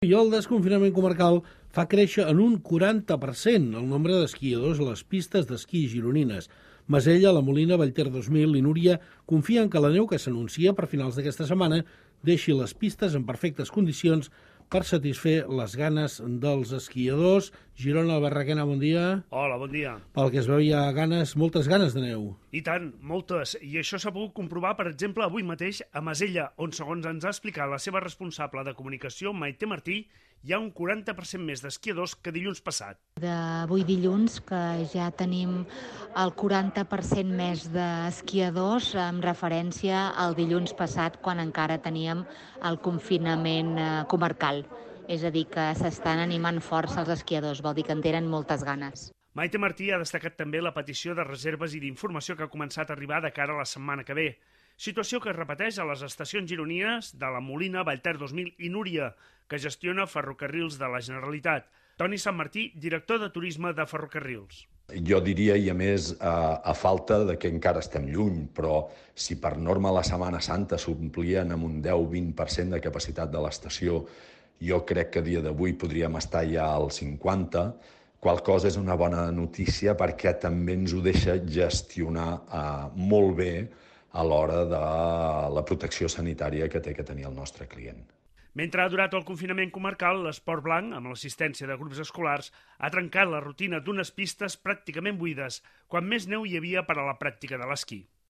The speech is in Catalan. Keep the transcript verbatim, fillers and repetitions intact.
I el desconfinament comarcal fa créixer en un quaranta per cent el nombre d'esquiadors a les pistes d'esquí gironines. Masella, La Molina, Vallter dos mil i Núria confien que la neu que s'anuncia per finals d'aquesta setmana deixi les pistes en perfectes condicions per satisfer les ganes dels esquiadors. Girona, Barraquena, bon dia. Hola, bon dia. Pel que es veu hi ha ganes, moltes ganes de neu. I tant, moltes. I això s'ha pogut comprovar, per exemple, avui mateix a Masella, on, segons ens ha explicat la seva responsable de comunicació, Maite Martí, hi ha un quaranta per cent més d'esquiadors que dilluns passat. D'avui dilluns, que ja tenim el quaranta per cent més d'esquiadors en referència al dilluns passat, quan encara teníem el confinament comarcal. És a dir, que s'estan animant força els esquiadors, vol dir que en tenen moltes ganes. Maite Martí ha destacat també la petició de reserves i d'informació que ha començat a arribar de cara a la setmana que ve. Situació que es repeteix a les estacions gironines de La Molina, Vallter dos mil i Núria, que gestiona Ferrocarrils de la Generalitat. Toni Sant Martí, director de Turisme de Ferrocarrils. Jo diria, i a més, a, a falta de que encara estem lluny, però si per norma la Setmana Santa s'omplien amb un deu a vint per cent de capacitat de l'estació, jo crec que a dia d'avui podríem estar ja al cinquanta per cent, qual cosa és una bona notícia perquè també ens ho deixa gestionar eh, molt bé a l'hora de la protecció sanitària que té que tenir el nostre client. Mentre ha durat el confinament comarcal, l'esport blanc, amb l'assistència de grups escolars, ha trencat la rutina d'unes pistes pràcticament buides, quan més neu hi havia per a la pràctica de l'esquí.